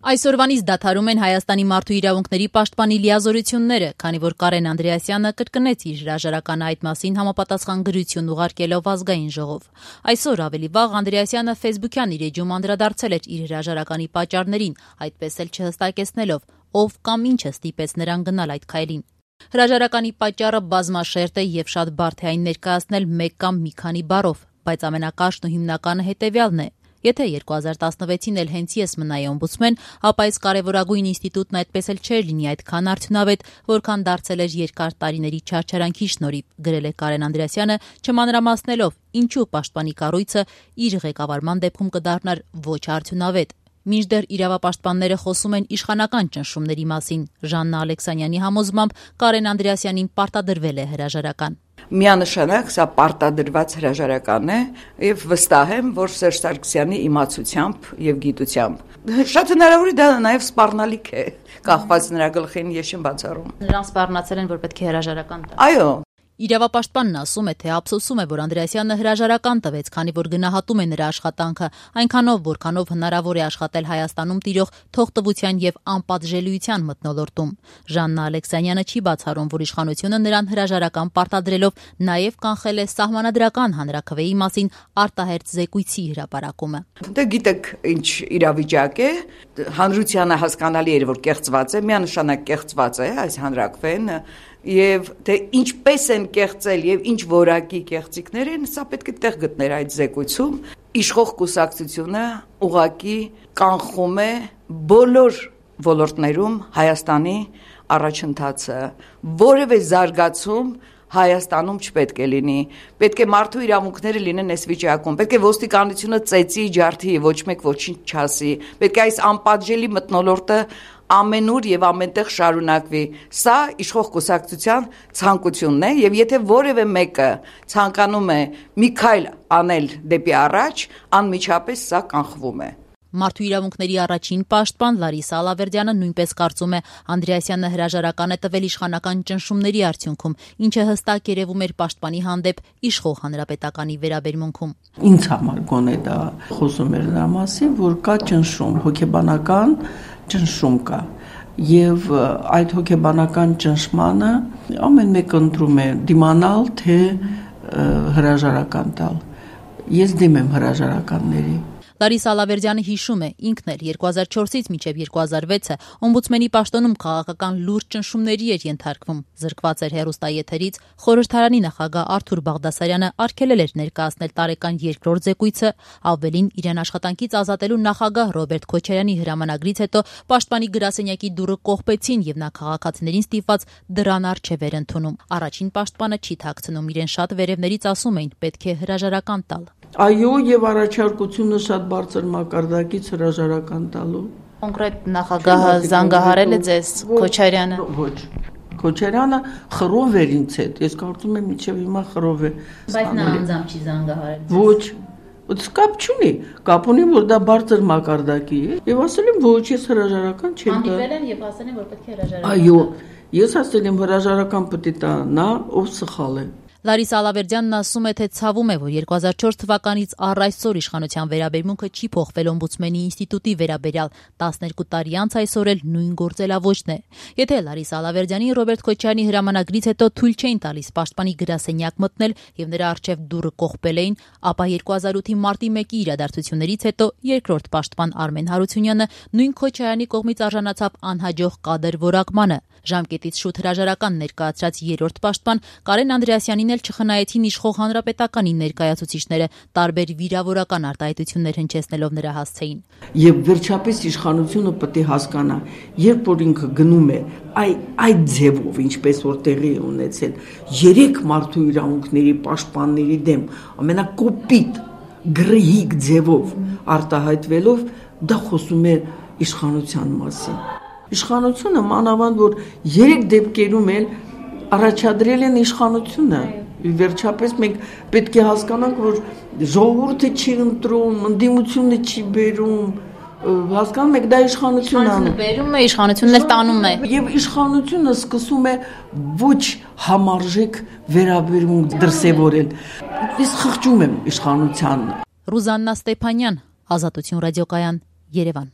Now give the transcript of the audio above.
Այսօրվանից դադարում են Հայաստանի մարդու իրավունքների պաշտպանի լիազորությունները, քանի որ Կարեն Անդրեասյանը կրկնեց իր հրաժարականը այդ մասին համապատասխան գրություն ուղարկելով Ազգային ժողով։ Այսօր ավելի վաղ Անդրեասյանը ֆեյսբուքյան իր էջում անդրադարձել էր իր հրաժարականի պատճառներին, այդպես էլ չհստակեցնելով, ով կամ ինչը ստիպեց նրան գնալ այդ քայլին։ Հրաժարականի պատճառը բազմաշերտ է եւ շատ բարդ է այն ներկայացնել մեկ կամ մի քանի բառով, բայց ամենակաշն ու հիմնականը հետեւյալն է. Եթե 2016-ին էլ հենց ես մնայի օմբուդսմեն, ապա այս կարևորագույն ինստիտուտն այդպես էլ չէր լինի այդքան արդյունավետ, որքան դարձել էր երկար տարիների չարչարանքի շնորհիվ, գրել է Կարեն Անդրեասյանը, չմանրամասնելով, ինչու պաշտպանի կառույցը իր ղեկավարման դեպքում կդառնար ոչ արդյունավետ։ Մինչդեռ իրավապաշտպանները խոսում են իշխանական ճնշումների մասին։ Ժաննա Ալեքսանյանի համոզմամբ Կարեն Անդրեասյանին պարտադրվել է հրաժարական։ Միանշանակ սա պարտադրված հրաժարական է եւ վստահ եմ, որ Սերժ Սարգսյանի իմացությամբ եւ գիտությամբ շատ հնարավոր է դա նաեւ սպառնալիք է, կախված նրա գլխին ես չեմ բացառում։ Նրան սպառնացել են, որ պետք է հրաժարական տա։ Այո։ Իրավապաշտպանն ասում է, թե ափսոսում է, որ Անդրեասյանը հրաժարական տվեց, քանի որ գնահատում է նրա աշխատանքը, այնքանով, որքանով հնարավոր է աշխատել Հայաստանում տիրող թողտվության եւ անպատժելիության մթնոլորտում։ Ժաննա Ալեքսանյանը չի բացառում, որ իշխանությունը նրան հրաժարական պարտադրելով նաեւ կանխել է սահմանադրական հանրաքվեի մասին արտահերթ զեկույցի հրապարակումը։ Դե գիտեք, ինչ իրավիճակ է, հանրությանը հասկանալի էր, որ կեղծված է, միանշանակ կեղծված է այս հանրաքվեն, եւ թե ինչպես են կեղծել եւ ինչ որակի կեղծիքներ են, սա պետք է տեղ գտներ այդ զեկույցում։ Իշխող կուսակցությունը ուղղակի կանխում է բոլոր ոլորտներում Հայաստանի առաջընթացը, որևէ զարգացում Հայաստանում չպետք է լինի, պետք է մարդու իրավունքները լինեն այս վիճակում, պետք է ոստիկանությունը ծեծի, ջարդի, ոչ մեկ ոչինչ չասի, պետք է այս անպատժելի մթնոլորտը ամենուր եւ ամենտեղ շարունակվի։ Սա իշխող կուսակցության ցանկությունն է եւ եթե որևէ մեկը ցանկանում է մի քայլ անել դեպի առաջ, անմիջապես սա կանխվում է։ Մարդու իրավունքների առաջին պաշտպան Լարիսա Ալավերդյանը նույնպես կարծում է, Անդրեասյանը հրաժարական է տվել իշխանական ճնշումների արդյունքում, ինչը հստակ երևում էր պաշտպանի հանդեպ իշխող հանրապետականի վերաբերմունքում։ Ինձ համար գոնե դա խոսում էր նրա մասին, որ կա ճնշում, հոգեբանական ճնշում կա եւ այդ հոգեբանական ճնշմանը ամեն մեկը ընտրում է դիմանալ թե հրաժարական տալ։ Ես դեմ եմ հրաժարականների։ Լարիսա Ալավերդյանը հիշում է, ինքն էլ 2004-ից մինչև 2006-ը օմբուդսմենի պաշտոնում քաղաքական լուրջ ճնշումների էր ենթարկվում, զրկված էր հեռուստաեթերից, խորհրդարանի նախագահ Արթուր Բաղդասարյանը արգելել էր ներկայացնել տարեկան երկրորդ զեկույցը, ավելին իրեն աշխատանքից ազատելու նախագահ Ռոբերտ Քոչարյանի հրամանագրից հետո պաշտպանի գրասենյակի դուռը կողպեցին եւ նա քաղաքացիներին ստիպված դրան առջև էր ընդունում։ Առաջին պաշտպանը չի թաքցնում, իրեն շատ վերևներից ասում էին, պետք է հրաժարական տալ։ Այո, եւ առաջարկությունը շատ բարձր մակարդակից հրաժարական տալու։ Կոնկրետ նախագահը զանգահարել է ձեզ Քոչարյանը։ Ոչ։ Քոչարյանը խռով էր ինձ հետ։ Ես կարծում եմ մինչև հիմա խռով է։ Բայց նա անձամբ չի զանգահարել։ Ոչ։ Կապ չունի։ Կապ ունի, որ դա բարձր մակարդակի է։ Եվ ասել եմ, ոչ, ես հրաժարական չեմ տա։ Հանդիպել են եւ ասել են, որ պետք է հրաժարական։ Այո, ես ասել եմ հրաժարական պետք է տա նա, ով սխալ է։ Լարիսա Ալավերդյանն ասում է, թե ցավում է, որ 2004 թվականից առ այսօր իշխանության վերաբերմունքը չի փոխվել օմբուդսմենի ինստիտուտի վերաբերյալ, 12 տարի անց այսօր էլ նույն գործելավոճն է։ Եթե Լարիսա Ալավերդյանին Ռոբերտ Քոչարյանի հրամանագրից հետո թույլ չէին տալիս պաշտպանի գրասենյակ մտնել եւ նրա առջև դուռը կողպել էին, ապա 2008-ի մարտի 1-ի իրադարձություններից հետո երկրորդ պաշտպան Արմեն Հարությունյանը նույն Քոչարյանի կողմից արժանացավ անհաջող կադր որակմանը։ Ժամկետից շուտ հրաժարական ներկայացրած երրորդ պաշտպան Կարեն Անդրեասյանին էլ չխնայեցին իշխող հանրապետականի ներկայացուցիչները, տարբեր վիրավորական արտահայտություններ հնչեցնելով նրա հասցեին։ Եվ վերջապես իշխանությունը պետք է հասկանա, երբ որ ինքը գնում է այդ ձևով, ինչպես որ տեղի է ունեցել, 3 մարդու իրավունքների պաշտպանների դեմ ամենակոպիտ գրեհիկ ձևով արտահայտվելով, դա խոսում է իշխանության մասին։ Իշխանությունը մանավանդ որ 3 դեպքերում էլ առաջադրել են իշխանությունը։ Վերջապես մենք պետք է հասկանանք, որ ժողովուրդը չի ընտրում, ընդդիմությունը չի բերում, հասկանում եք, դա իշխանությունն է բերում է, իշխանությունն էլ տանում է։ Եվ իշխանությունը սկսում է ոչ համարժեք վերաբերմունք դրսևորել։ Ես խղճում եմ իշխանության։ Ռուզաննա Ստեփանյան, Ազատություն ռադիոկայան, Երևան։